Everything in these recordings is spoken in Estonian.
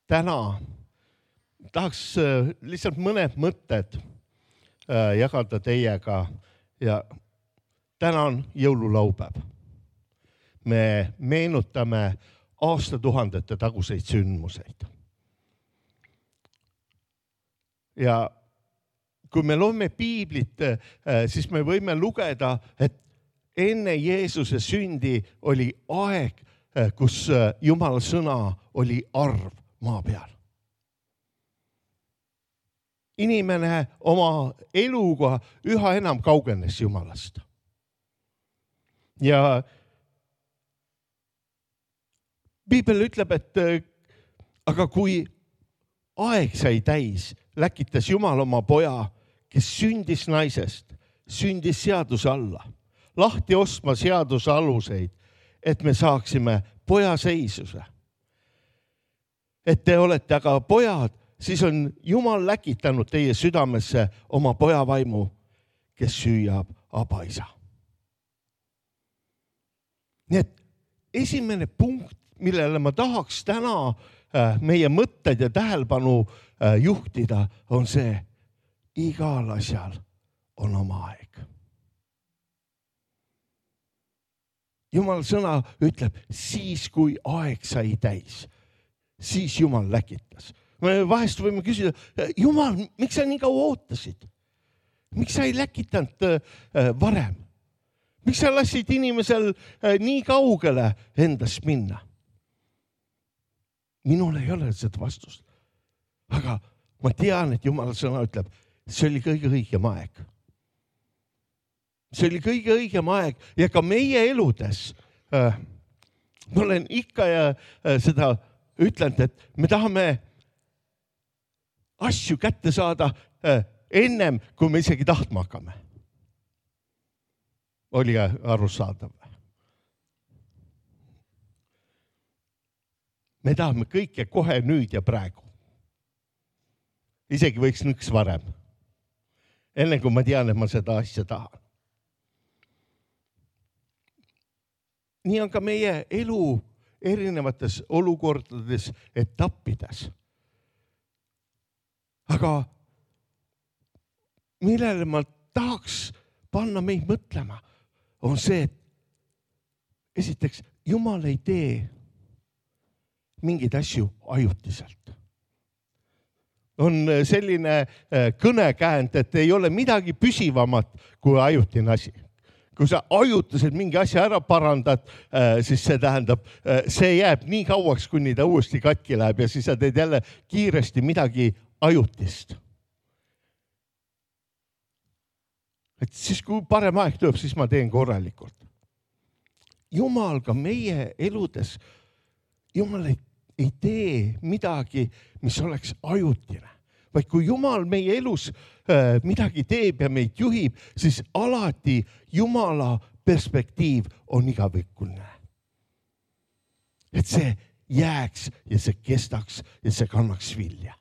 täna tahaks lihtsalt mõned mõtted jagada teiega ja täna on jõululaupäev. Me meenutame aastatuhandete taguseid sündmuseid. Ja kui me loeme piiblit, siis me võime lugeda, et enne Jeesuse sündi oli aeg, kus Jumala sõna oli arv maa peal. Inimene oma eluga üha enam kaugenes Jumalast. Ja Piibel ütleb, et aga kui aeg sai täis, läkitas Jumal oma poja, kes sündis naisest, sündis seaduse alla, lahti ostma seaduse aluseid, et me saaksime poja seisuse. Et te olete aga pojad, siis on Jumal läkitanud teie südamesse oma poja vaimu, kes süüab abaisa. Nii et esimene punkt, millele ma tahaks täna meie mõtted ja tähelepanu juhtida, on see, igal asjal on oma aeg. Jumal sõna ütleb, siis kui aeg sai täis, siis Jumal läkitas. Me vahest võime küsida, Jumal, miks sa nii kaua ootasid? Miks sa ei läkitanud varem? Miks sa lasid inimesel nii kaugele endast minna? Minul ei ole seda vastust. Aga ma tean, et Jumala sõna ütleb, see oli kõige õigem aeg. See oli kõige õigem aeg ja ka meie eludes. Ma olen ikka ja seda ütlenud, et me tahame asju kätte saada ennem, kui me isegi tahtma hakkame. Oli arusaadav. Me tahame kõike kohe nüüd ja praegu. Isegi võiks nõks varem. Enne kui ma tean, et ma seda asja tahan. Nii on ka meie elu erinevates olukordades, etappides. Aga millele ma tahaks panna meid mõtlema, on see, et esiteks, Jumal ei tee mingeid asju ajutiselt. On selline kõnekäänd, et ei ole midagi püsivamat kui ajutine asi. Kui sa ajutiselt mingi asja ära parandad, siis see tähendab, see jääb nii kauaks, kuni ta uuesti katki läheb ja siis sa teed jälle kiiresti midagi ajutist. Et siis kui parem aeg tuleb, siis ma teen korralikult. Jumal ka meie eludes, Jumal ei tee midagi, mis oleks ajutine. Vaid kui Jumal meie elus midagi teeb ja meid juhib, siis alati Jumala perspektiiv on igavikuline. Et see jääks ja see kestaks ja see kannaks vilja.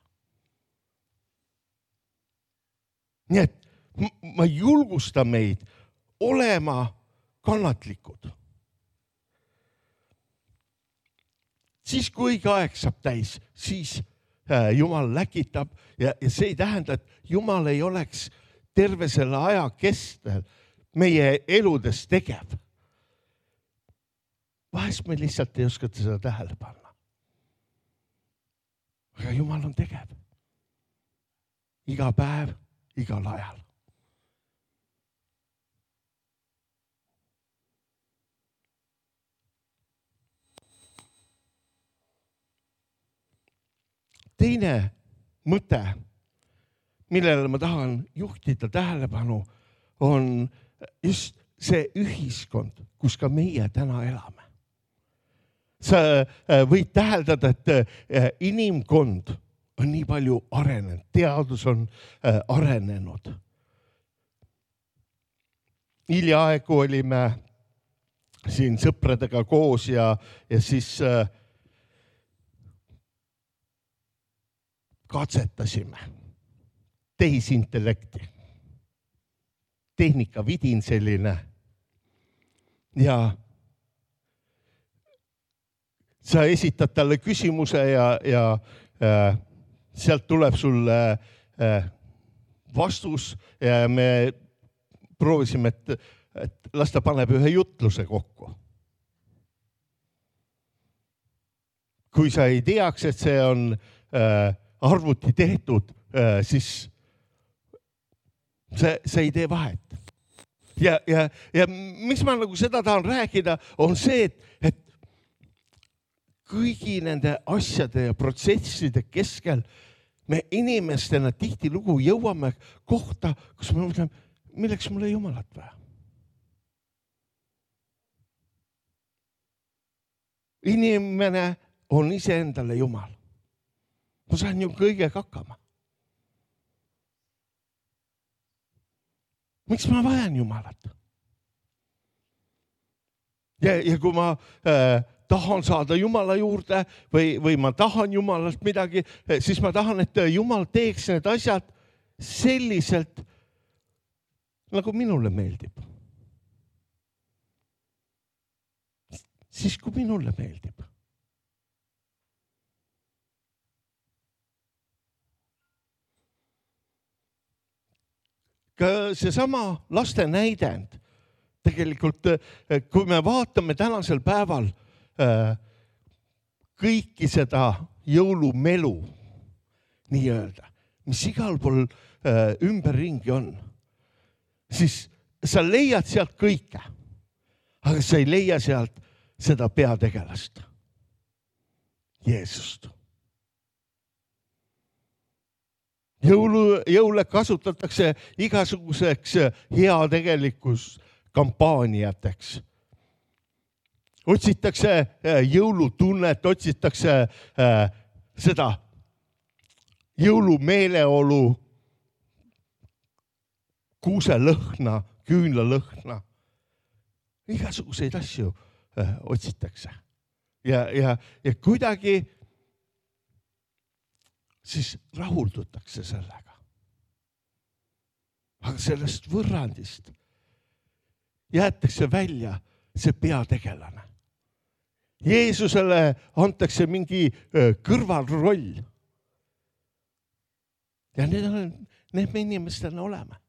Nii et ma julgustan meid olema kannatlikud. Siis kui õige aeg saab täis, siis Jumal läkitab ja see ei tähenda, et Jumal ei oleks terve selle aja kestel meie eludes tegev. Vahest me lihtsalt ei oskata seda tähele panna. Aga Jumal on tegev. Iga päev, igal ajal. Teine mõte, millele ma tahan juhtida tähelepanu, on just see ühiskond, kus ka meie täna elame. Sa võid täheldada, et inimkond on nii palju arenenud, teadus on arenenud. Hiljaaegu olime siin sõpradega koos ja siis katsetasime tehisintellekti. Tehnika vidin selline. Ja sa esitad talle küsimuse ja sealt tuleb sulle vastus ja me proovisime, et las ta paneb ühe jutluse kokku. Kui sa ei teaks, et see on arvuti tehtud, siis see ei tee vahet. Ja mis ma nagu seda tahan rääkida, on see, et kõigi nende asjade ja protsesside keskel me inimestena tihtilugu jõuame kohta, kus me mõtleme, milleks mulle Jumalat vaja. Inimene on iseendale Jumal. Ma saan ju kõigega hakkama. Miks ma vajan Jumalat? Ja kui ma tahan saada Jumala juurde või ma tahan Jumalast midagi, siis ma tahan, et Jumal teeks need asjad selliselt, nagu minule meeldib. Siis kui minule meeldib. Ka seesama laste näidend. Tegelikult, kui me vaatame tänasel päeval kõiki seda jõulumelu, nii öelda, mis igal pool ümberringi on, siis sa leiad sealt kõike, aga sa ei leia sealt seda peategelast, Jeesust. Jõule kasutatakse igasuguseks heategelikus kampaaniateks. Otsitakse jõulutunnet, otsitakse seda jõulumeeleolu, kuuselõhna, küünlalõhna. Igasuguseid asju otsitakse. Ja kuidagi siis rahuldutakse sellega. Aga sellest võrrandist jäetakse välja see peategelane. Jeesusele antakse mingi kõrvalroll. Ja need me inimestena oleme.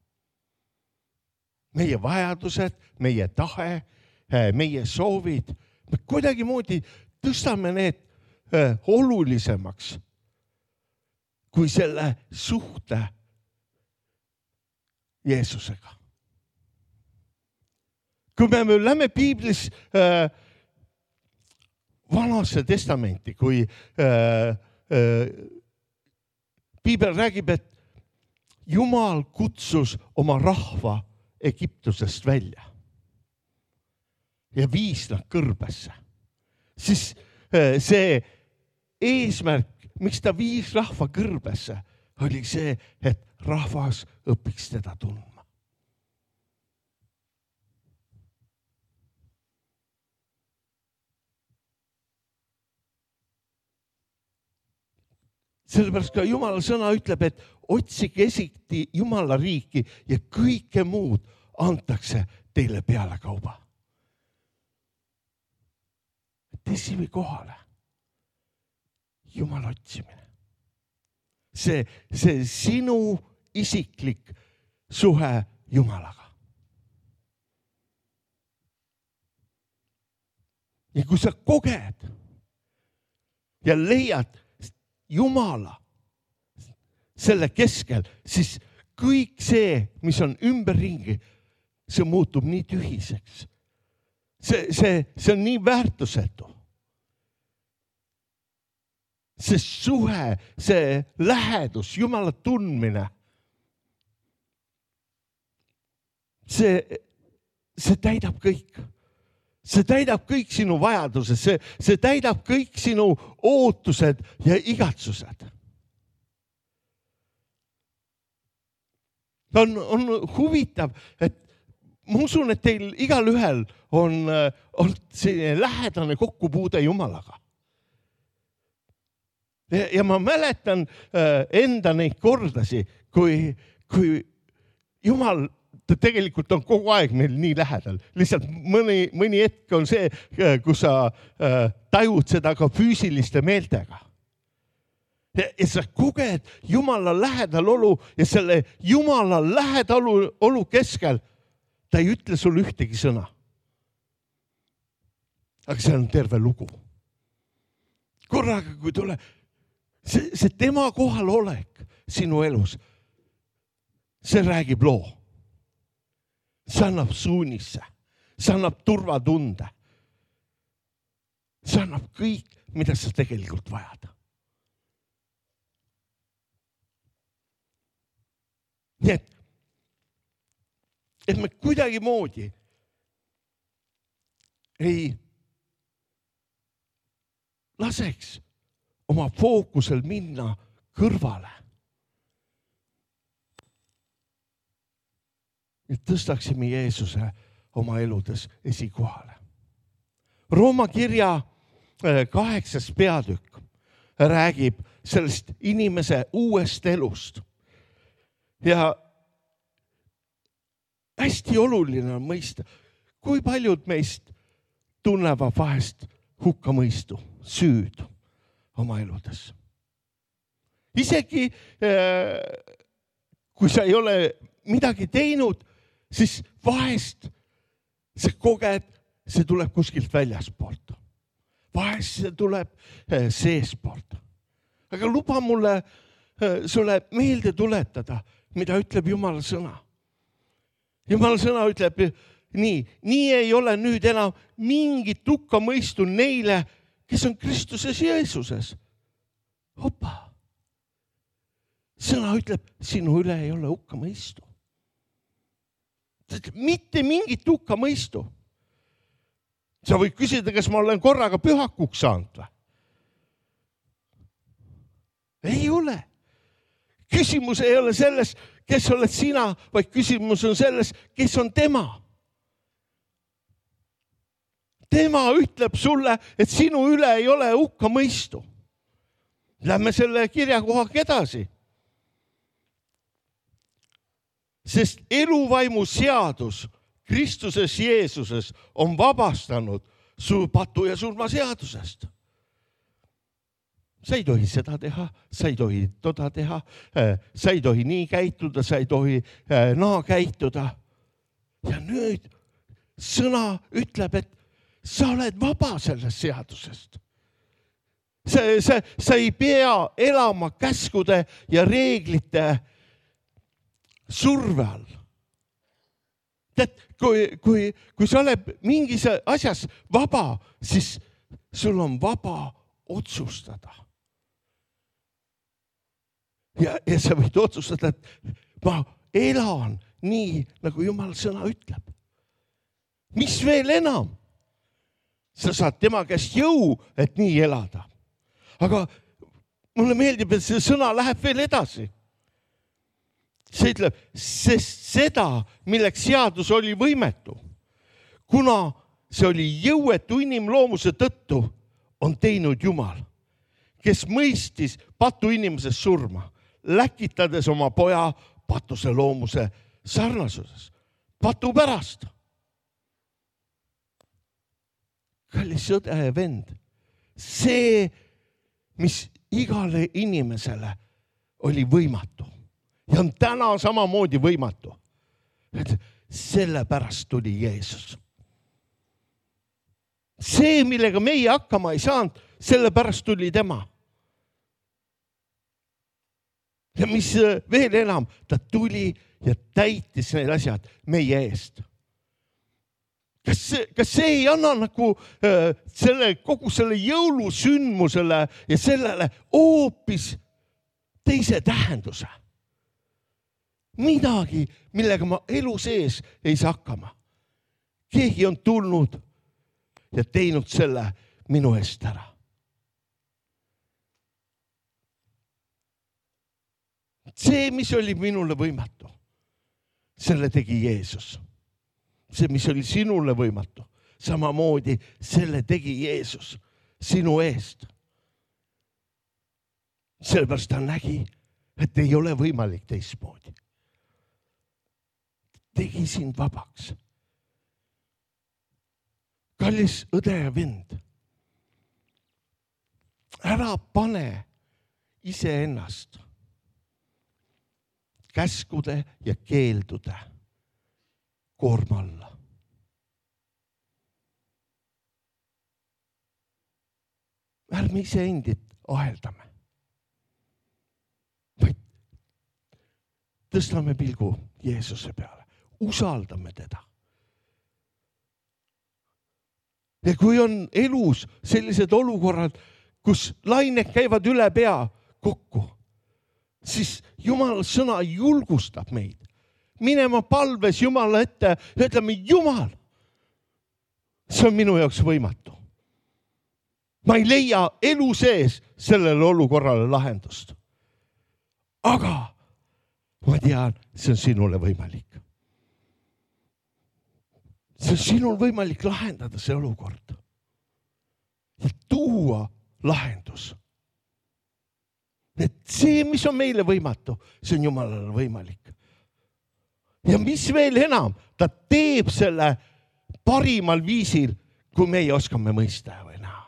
Meie vajadused, meie tahe, meie soovid, me kuidagi moodi tõstame need olulisemaks kui selle suhte Jeesusega. Kui me lähme Piiblis Vanasse testamenti, kui Piibel räägib, et Jumal kutsus oma rahva Egiptusest välja ja viis nad kõrbesse, siis see eesmärk, miks ta viis rahva kõrbesse, oli see, et rahvas õpiks teda tundma. Sellepärast ka Jumala sõna ütleb, et otsige esiti Jumala riiki ja kõike muud antakse teile peale kauba. Esimene kohale. Jumala otsimine. See sinu isiklik suhe Jumalaga. Ja kui sa koged ja leiad Jumala selle keskel, siis kõik see, mis on ümberringi, see muutub nii tühiseks. See on nii väärtusetu. See suhe, see lähedus, Jumala tundmine, see täidab kõik. See täidab kõik sinu vajadused, see täidab kõik sinu ootused ja igatsused. On huvitav, et ma usun, et teil igal ühel on selline lähedane kokkupuude Jumalaga. Ja ma mäletan enda neid kordasi, kui Jumal tegelikult on kogu aeg meil nii lähedal. Lihtsalt mõni hetk on see, kus sa tajud seda ka füüsiliste meeltega. Ja sa koged Jumala lähedal olu ja selle Jumala lähedal olu keskel ta ei ütle sulle ühtegi sõna. Aga see on terve lugu. Korraga, kui tule, see tema kohal olek sinu elus, see räägib loo. See annab suunisse, see annab turvatunde. See annab kõik, mida sa tegelikult vajad. Nii et me kuidagi moodi ei laseks oma fookusel minna kõrvale. Et tõstaksime Jeesuse oma eludes esikohale. Rooma kirja 8. peatükk räägib sellest inimese uuest elust. Ja hästi oluline on mõista, kui paljud meist tunnevad vahest hukkamõistu, süüd oma eludes. Isegi kui sa ei ole midagi teinud, siis vahest see koged, see tuleb kuskilt väljaspoolt. Vahest see tuleb seespoolt. Aga luba mulle sulle meelde tuletada, mida ütleb Jumala sõna. Jumala sõna ütleb nii ei ole nüüd enam mingit hukkamõistu neile, kes on Kristuses Jeesuses. Opa! Sõna ütleb, sinu üle ei ole hukkamõistu. Mitte mingit hukkamõistu. Sa võid küsida, kas ma olen korraga pühakuks saanud või? Ei ole. Küsimus ei ole selles, kes oled sina, vaid küsimus on selles, kes on tema. Tema ütleb sulle, et sinu üle ei ole hukkamõistu. Lähme selle kirjakohaga edasi. Sest eluvaimu seadus Kristuses Jeesuses on vabastanud su patu ja surma seadusest. Sa ei tohi seda teha, sa ei tohi toda teha, sa ei tohi nii käituda, sa ei tohi naa käituda. Ja nüüd sõna ütleb, et sa oled vaba sellest seadusest. Sa ei pea elama käskude ja reeglite surve all. Tead, kui sa oled mingis asjas vaba, siis sul on vaba otsustada. Ja sa võid otsustada, et ma elan nii, nagu Jumal sõna ütleb. Mis veel enam? Sa saad tema käest jõu, et nii elada. Aga mulle meeldib, et see sõna läheb veel edasi. See ütleb, sest seda, milleks seadus oli võimetu, kuna see oli jõuetu inimloomuse tõttu, on teinud Jumal, kes mõistis patu inimesest surma, läkitades oma poja patuse loomuse sarnasuses, patu pärast. Kallis sõde ja vend, see, mis igale inimesele oli võimatu ja on täna samamoodi võimatu, sellepärast tuli Jeesus. See, millega meie hakkama ei saanud, sellepärast tuli tema. Ja mis veel enam, ta tuli ja täitis need asjad meie eest. Kas see ei anna nagu kogu selle jõulusündmusele ja sellele hoopis teise tähenduse? Midagi, millega ma elu sees ei saa hakkama. Keegi on tulnud ja teinud selle minu eest ära. See, mis oli minule võimatu, selle tegi Jeesus. See, mis oli sinule võimatu, samamoodi selle tegi Jeesus sinu eest. Sellepärast ta nägi, et ei ole võimalik teistmoodi. Tegi sind vabaks. Kallis õde ja vend, ära pane iseennast käskude ja keeldude koorma alla. Ärme iseendid aheldame, vaid tõstame pilgu Jeesuse peale, usaldame teda. Ja kui on elus sellised olukorrad, kus lained käivad üle pea kokku, siis Jumala sõna julgustab meid minema palves Jumala ette ja ütleme, Jumal, see on minu jaoks võimatu. Ma ei leia elu sees sellele olukorrale lahendust. Aga ma tean, see on sinule võimalik. See on sinul võimalik lahendada see olukord ja tuua lahendus. Et see, mis on meile võimatu, see on Jumalale võimalik. Ja mis veel enam, ta teeb selle parimal viisil, kui meie oskame mõista või näha.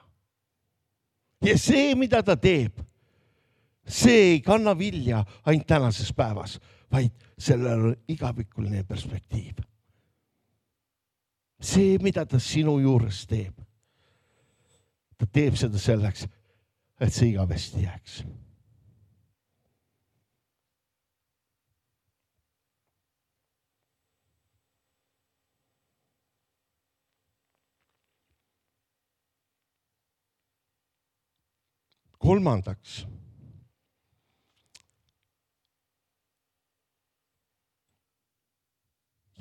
Ja see, mida ta teeb, see ei kanna vilja ainult tänases päevas, vaid sellel on igavikuline perspektiiv. See, mida ta sinu juures teeb, ta teeb seda selleks, et see igavesti jääks. Kolmandaks,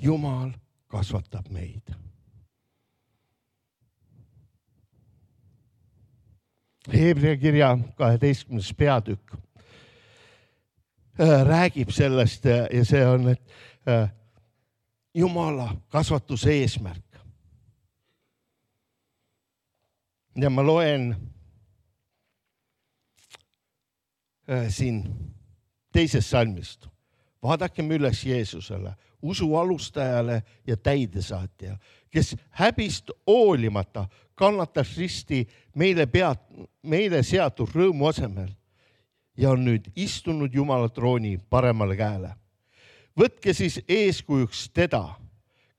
Jumal kasvatab meid. Hebrea kirja 12. peatükk räägib sellest ja see on, et Jumala kasvatuse eesmärk. Ja ma loen siin teisest salmist. Vaadakem üles Jeesusele, usu alustajale ja täidesaatja, kes häbist hoolimata kannatas risti meile seatud rõõmu asemel ja on nüüd istunud Jumala trooni paremale käele. Võtke siis eeskujuks teda,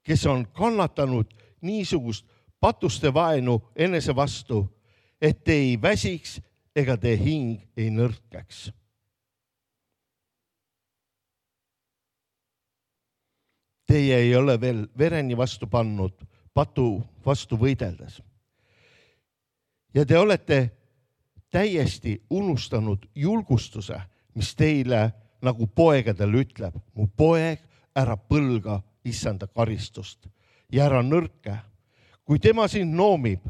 kes on kannatanud niisugust patuste vaenu enese vastu, et te ei väsiks ega te hing ei nõrkeks. Teie ei ole veel vereni vastu pannud patu vastu võideldes. Ja te olete täiesti unustanud julgustuse, mis teile nagu poegadele ütleb. Mu poeg, ära põlga issanda karistust ja ära nõrke. Kui tema sind noomib,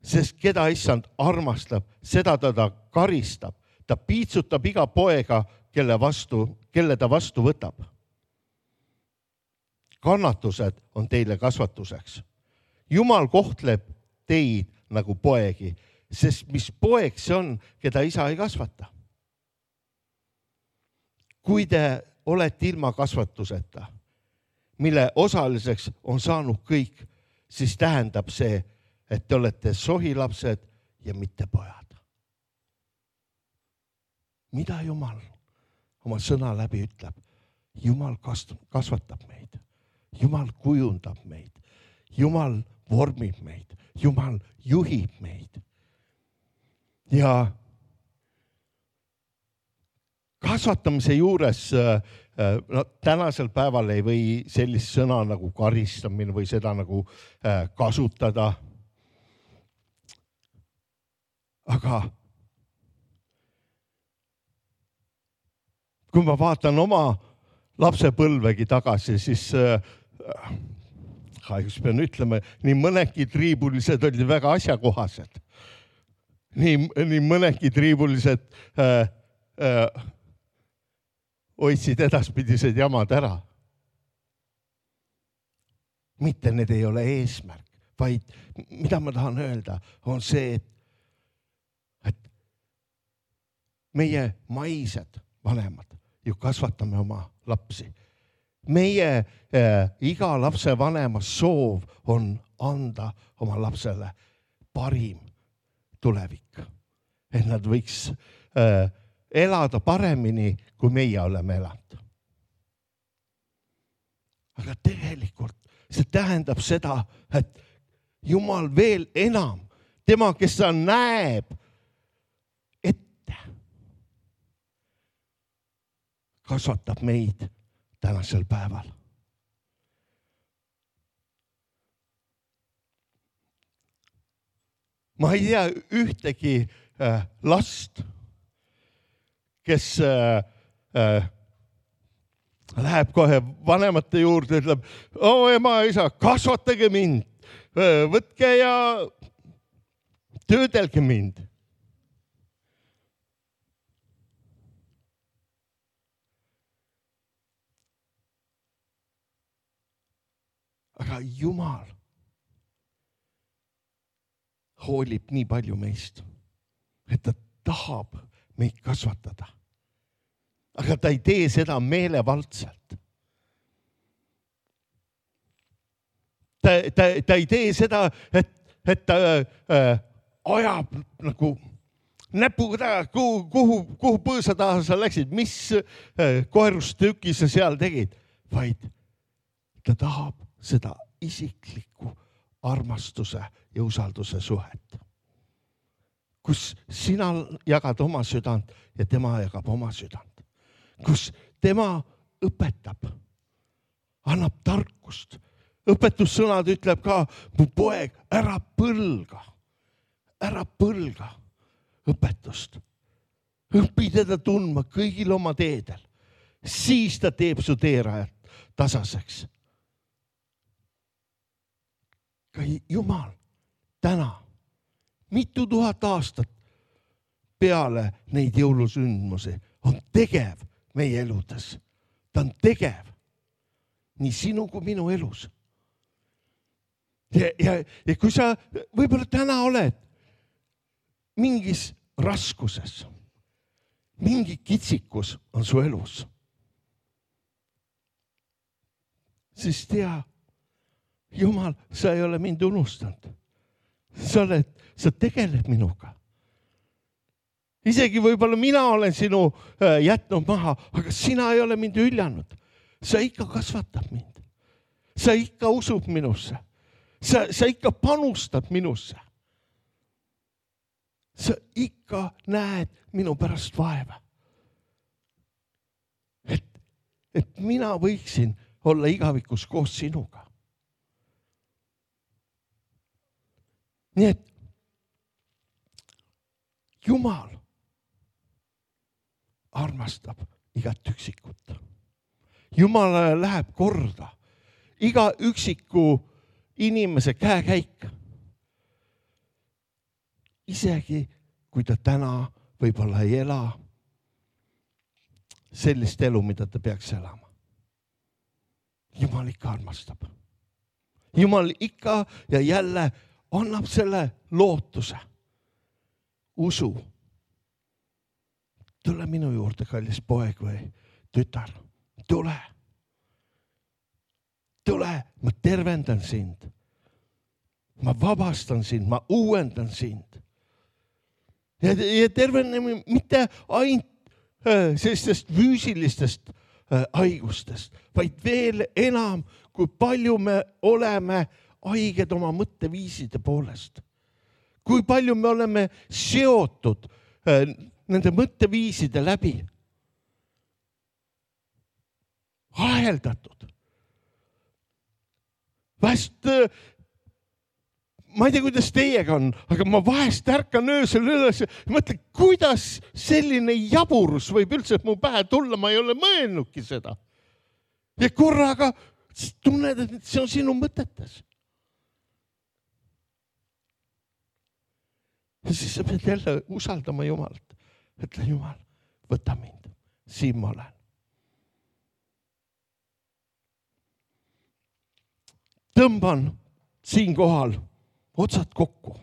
sest keda issand armastab, seda ta karistab. Ta piitsutab iga poega, kelle ta vastu võtab. Kannatused on teile kasvatuseks. Jumal kohtleb teid nagu poegi, sest mis poeg see on, keda isa ei kasvata. Kui te olete ilma kasvatuseta, mille osaliseks on saanud kõik, siis tähendab see, et te olete sohilapsed ja mitte pojad. Mida Jumal oma sõna läbi ütleb? Jumal kasvatab meid. Jumal kujundab meid. Jumal vormib meid. Jumal juhib meid. Ja kasvatamise juures tänasel päeval ei või sellist sõna nagu karistamine või seda nagu kasutada. Aga kui ma vaatan oma lapsepõlvegi tagasi, siis kahjuks pean ütlema, nii mõnedki triibulised olid väga asjakohased. Nii mõnedki triibulised hoidsid edaspidised jamad ära. Mitte need ei ole eesmärk, vaid mida ma tahan öelda, on see, et meie maised vanemad ju kasvatame oma lapsi. Meie iga lapse vanema soov on anda oma lapsele parim tulevik. et nad võiks elada paremini, kui meie oleme elanud. Aga tegelikult see tähendab seda, et Jumal veel enam, tema, kes ta näeb ette, kasvatab meid tänasel päeval. Ma ei tea ühtegi last, kes läheb kohe vanemate juurde, ütleb, ema, isa, kasvatage mind, võtke ja töödelge mind. Aga Jumal hoolib nii palju meist, et ta tahab meid kasvatada. Aga ta ei tee seda meelevaldselt. Ta ei tee seda, et ta ajab nagu näpuga taga, kuhu põõsa taha sa läksid, mis koerustüki sa seal tegid, vaid ta tahab seda isiklikku armastuse ja usalduse suhet, kus sina jagad oma südant ja tema jagab oma südant, kus tema õpetab, annab tarkust. Õpetussõnad ütleb ka, mu poeg, ära põlga õpetust. Õpi teda tundma kõigil oma teedel. Siis ta teeb su teerajad tasaseks. Ka Jumal täna, mitu tuhat aastat peale neid jõulusündmusi on tegev meie eludes. Ta on tegev nii sinu kui minu elus. Ja kui sa võib-olla täna oled mingis raskuses, mingi kitsikus on su elus, siis tea, Jumal, sa ei ole mind unustanud. Sa tegeled minuga. Isegi võib-olla mina olen sinu jätnud maha, aga sina ei ole mind hüljanud. Sa ikka kasvatab mind. Sa ikka usub minusse. Sa ikka panustad minusse. Sa ikka näed minu pärast vaeva. Et mina võiksin olla igavikus koos sinuga. Nii et Jumal armastab igat üksikut. Jumalale läheb korda iga üksiku inimese käekäik. Isegi kui ta täna võib-olla ei ela sellist elu, mida ta peaks elama. Jumal ikka armastab. Jumal ikka ja jälle annab selle lootuse, usu. Tule minu juurde, kallis poeg või tütar. Tule. Tule, ma tervendan sind. Ma vabastan sind, ma uuendan sind. Ja terveneme mitte ainult sellistest füüsilistest haigustest, vaid veel enam, kui palju me oleme haiged oma mõtteviiside poolest. Kui palju me oleme seotud nende mõtteviiside läbi. Aheldatud. Vahest, ma ei tea, kuidas teiega on, aga ma vahest ärkan öösel üles ja mõtlen, kuidas selline jaburus võib üldse mu pähe tulla, ma ei ole mõelnudki seda. Ja korraga tunned, et see on sinu mõtetes. Ja siis sa pead jälle usaldama Jumalt. Ütle, Jumal, võta mind. Siin ma olen. Tõmban siin kohal otsad kokku.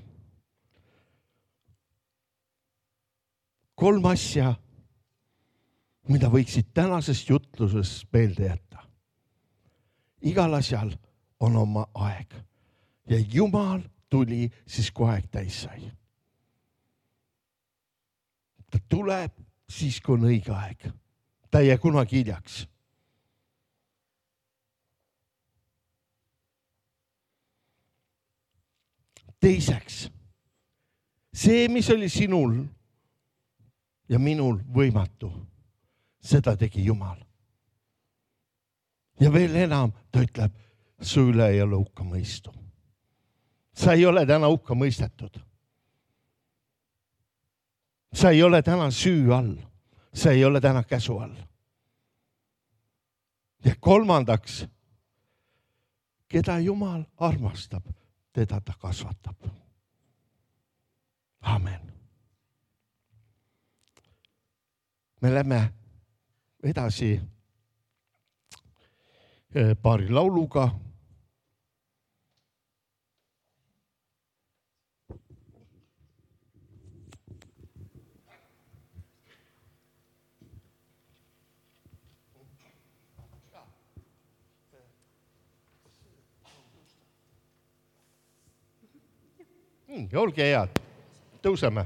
3 asja, mida võiksid tänasest jutlusest meelde jätta. Igal asjal on oma aeg. Ja Jumal tuli siis, kui aeg täis sai. tuleb siis, kui on õige aeg. Ta ei jää kunagi hiljaks. Teiseks, see, mis oli sinul ja minul võimatu, seda tegi Jumal. Ja veel enam, ta ütleb, su üle ei ole hukka mõistu. Sa ei ole täna hukka mõistetud. Sa ei ole täna süü all. Sa ei ole täna käsu all. Ja kolmandaks, keda Jumal armastab, teda ta kasvatab. Amen. Me lähme edasi paari lauluga. Olge head, tõuseme.